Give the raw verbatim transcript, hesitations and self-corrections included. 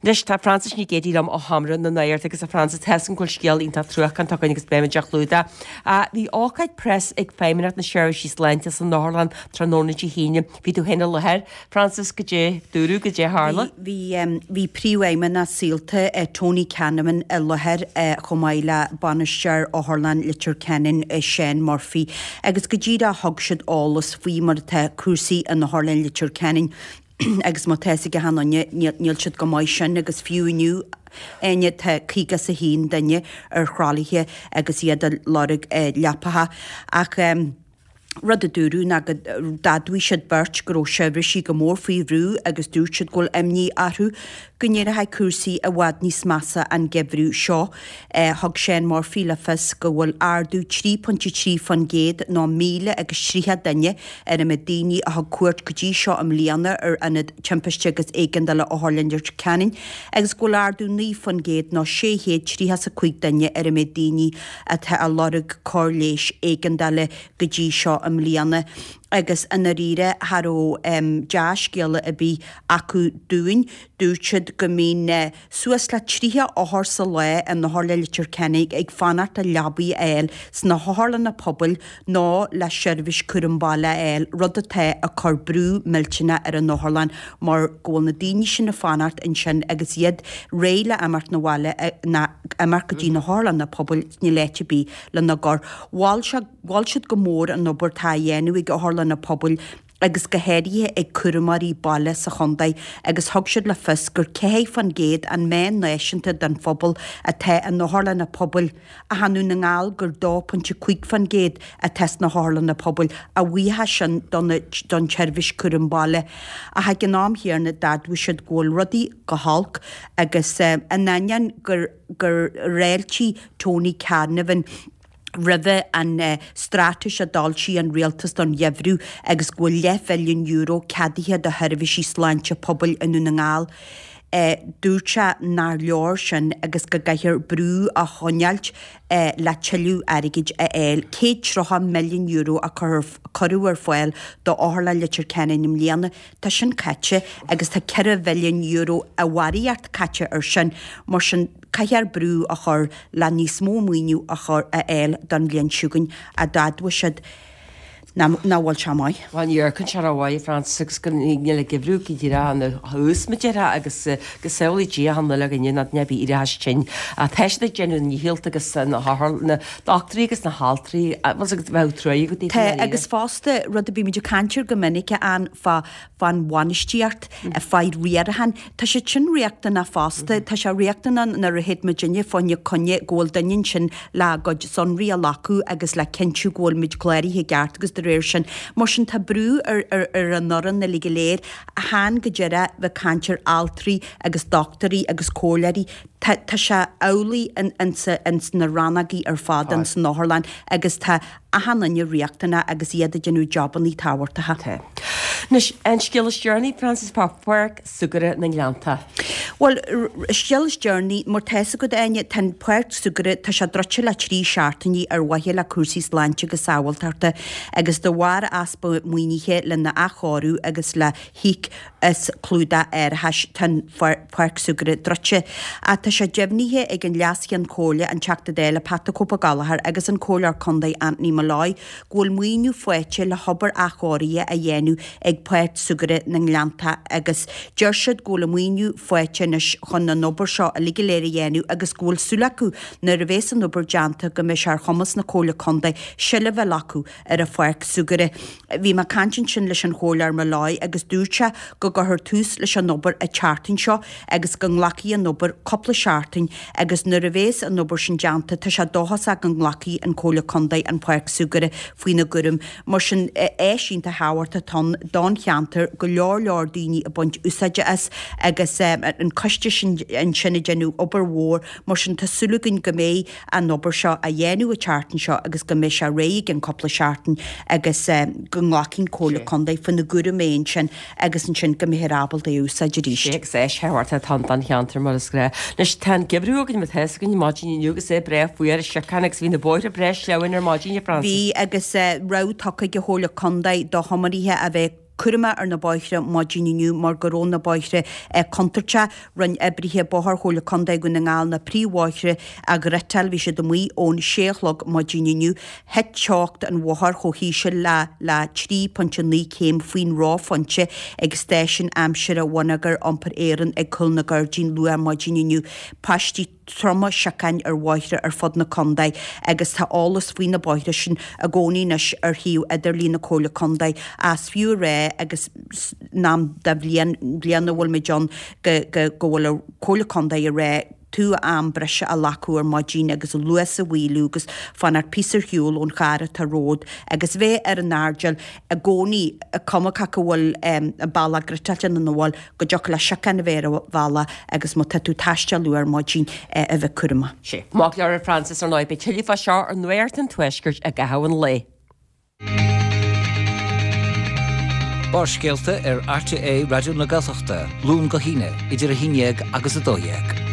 Anois tá Frances Ní Ghéidigh liom ó Sheomra na Nuachta agus a Frances tá an bhfuil scéal iontach truacánta againn agus beimid á chlúdach. Bhí ócáid preas ag Feidhmeannacht na Seirbhísí Sláinte san Otharlann tráthnóna Dé hAoine. Bhí tú féin i láthair, Frances goidé dúradh goidé tharla. Bhí bhí príomhfheidhmeannach Saolta Tony Canavan i láthair chomh maith le bainisteoir Otharlann Leitir Ceanainn Seán Murphy agus go díreach thug siad eolas faoi mar atá cúrsaí in Otharlann Leitir Ceanainn agus má tá a fhios ag achan duine níl siad go maith sin agus fiú inniu Áine tá caoga is a haon duine ar thralaithe agus iad ag lorg leapacha ach rud a dúradh ná go d'admhaigh siad beirt go raibh seirbhísí go mór faoi bhrú agus dúirt siad go bhfuil imní orthu go n-éireoidh cúrsaí i bhfad níos measa an geimhreadh seo. Thug Seán Murphy le fios go bhfuil ardú trí pointe trí faoin gcéad nó míle agus tríocha duine ar an méid daoine a thug cuairt go dtí seo i mbliana ar Ionad Timpiste agus Éigeandála Otharlann Leitir Ceanainn agus go bhfuil ardú naoi faoin gcéad nó sé chéad tríocha is a cúig duine ar an méid daoine atá ag lorg cóir leighis éigeandála go dtí seo i mbliana agus i ndáiríre cha raibh dea-scéala ar bith acu dúinn. Dúirt siad go mbíonn suas le tríocha othar sa lá in Otharlann Leitir Ceanainn ag fanacht le leabaí a fháil sna hotharlanna pobail nó le seirbhís cúram baile a fháil, rud atá ag cur brú millteanach ar an otharlann mar go bhfuil na daoine sin ag fanacht ansin agus iad réidh le imeacht 'na bhaile ná imeacht go dtí na hotharlanna pobail níl áit ar bith lena gcur. Mhol sé Mhol siad go mór an obair atá á dhéanamh ag otharlanna pobail agus go háirithe ag cúramóirí baile sa chontae agus thug siad le fios gur ceathair faoin gcéad an meán náisiúnta den phobal atá in otharlanna pobail ach i nDún na nGall gur dó pointe cúig faoin gcéad atá sna hotharlanna pobail, a bhuíochas sin don tseirbhís cúram baile. Ach ag an am chéanna d'admhaigh siad go bhfuil rudaí go holc agus in ainneoin gur gur fháiltigh Tony Canavan roimhe an straitéis a d'fhoilsigh an rialtas don gheimhreadh agus go bhfuil leathbhilliún euro ceadaithe do sheirbhísí sláinte pobail i nDún na nGall. Dúirt sé nár leor sin agus go gcaithfear brú a choinneáilt le tuilleadh airgid a fháil. Céad tríocha milliún euro a cuireadh ar fáil d'Otharlann Leitir Ceanainn i mbliana, tá sin caite agus tá ceithre mhilliún euro i bharraíocht caite ar sin. Mar sin, Caithfear brú a chur le níos mó maoiniú a chur a fháil don bhliain seo chugainn, a d'admhaigh siad nach bhfuil sé maith. Bhuel, ní amharcann sé rómhaith, a Frances, agus go níl an geimhreadh go díreach ina thús, mar a déarfá, agus go samhlaí Dia achan uile dhuine nach mbeidh éireachas tinn. Ach tá siad ag déanamh a ndícheall agus na hothair, na dochtúirí agus na haltraí, bhfuil a fhios agat, bheadh trua agat daofa Tá, i ndáiríre. agus fosta, rud a bímid ag caint air go minic, an fá fán bhainistíocht, fá riarachán. Tá siad sin riachtanach fosta. Tá sé riachtanach nuair a théid muidinne fá choinne coinne go bhfuil duine ansin le a gcuid sonraí a ghlacadh agus le cinntiú go bhfuil muid cláraithe i gceart agus de réir sin. Mar sin tá brú ar ar an fhoireann uilig go léir. Chan go díreach bheith caint ar altraí agus dochtúirí agus comhairleoirí. Tá tá sé amhlaidh in in ins na rannógaí ar fad in san otharlann agus tá achan duine riachtanach agus iad ag déanamh jabannaí tábhachtacha. Tá. Anois, an scéal is deireanaí, Frances, fá Pháirc Súgartha na nGleannta. Bhuel, scéal is deireanaí, mar tá fhios agat, Áine, tá an Pháirc Súgartha, tá sé druidte le trí seachtainí ar mhaithe le cúrsaí sláinte agus sábháilteachta agus de bharr easpa maoinithe lena athchóiriú agus le híoc as clúdach árachais, tá an Pháirc Súgartha druidte. Ach tá sé deimhnithe ag an Leas-Cheann Comhairle, an Teachta Dála Pat the Cope Ó Gallchóir agus an Comhairleoir Contae Anthony Molloy go bhfuil maoiniú faighte le hobair athchóirithe a dhéanamh ag Páirc Súgartha na nGleanntach agus deir siad go bhfuil an maoiniú faighte anois chun an obair seo uilig go léir a dhéanamh agus go bhfuil súil acu nuair a bhéas an obair déanta go mbeidh sé ar chumas na Comhairle Contae seilbh a ghlacadh ar an pháirc súgartha. Bhí mé ag caint ansin leis an Chomhairleoir Molloy agus dúirt sé go gcuirfear tús leis an obair an tseachtain seo agus go nglacfaidh an obair cúpla seachtain agus nuair a bhéas an obair sin déanta tá sé dóchasach go nglacfaidh an Comhairle Contae an pháirc súgartha faoina gcúram. Mar sin áis iontach thábhachtach atá ann don cheantar, go leor leor daoine ag baint úsáide as agus an coiste sin ansin ag déanamh obair mhór. Mar sin tá súil againn go mbeidh an obair seo á dhéanamh an tseachtain seo agus go mbeidh sé réidh i gceann cúpla seachtain agus go nglacfaidh an Comhairle Contae faoina gcúram é ansin agus ansin go mbeifear ábalta é a úsáid arís. Sé agus áis thábhachtach atá ann don cheantar mar is gnách. Anois tá an geimhreadh againn mar tá fhios againn maidin inniu agus é breá fuar is siocán agus bhí na bóithre breá sleamhain ar maidin, a Frances. Bhí agus rabhadh tugtha ag an Chomhairle Contae do thiománaithe a bheith cúramach ar na bóithre maidin inniu mar go raibh na bóithre contúirteach. Rinne oibrithe bóthair Chomhairle Contae Dhún na nGall na príomhbhóithre a ghriotáil. Bhí siad amuigh ón sé a chlog maidin inniu. Thit teocht an bhóthair chomh híseal le le trí pointe naoi céim faoin reophointe ag stáisiún aimsire Bhonneagar Iompair Éireann ag Cúl na Gairdín luath maidin inniu. Paistí troma siocáin ar bhóithre ar fud na contae agus tá eolas faoi na bóithre sin i gcónaí anois ar shuíomh idirlín na Comhairle Contae. Is fiú a rá agus in am de bhliain, bliain a bhfuil muid ann go, go, go bhfuil an Chomhairle Contae ag rá tú am breise a ghlacadh ar maidin agus an luas a mhaolú agus fanacht píosa ar shiúl ón charr atá romhat agus bheith ar an airdeall i gcónaí, cuma cá bhfuil an bealach griotáilte nó nach bhfuil, go dtiocfadh le siocán a bheith ar an bhealach agus má tá tú ag taisteal luath ar maidin a bheith cúramach. Sea. Maith go leor a Frances, ar ndóigh beidh tuilleadh fá seo ar Nuacht an Tuaiscirt i gcaitheamh an lae. Barrscéalta ar RTÉ Raidió na Gaeltachta, Luan go hAoine, idir a haon dhéag agus a dó dhéag.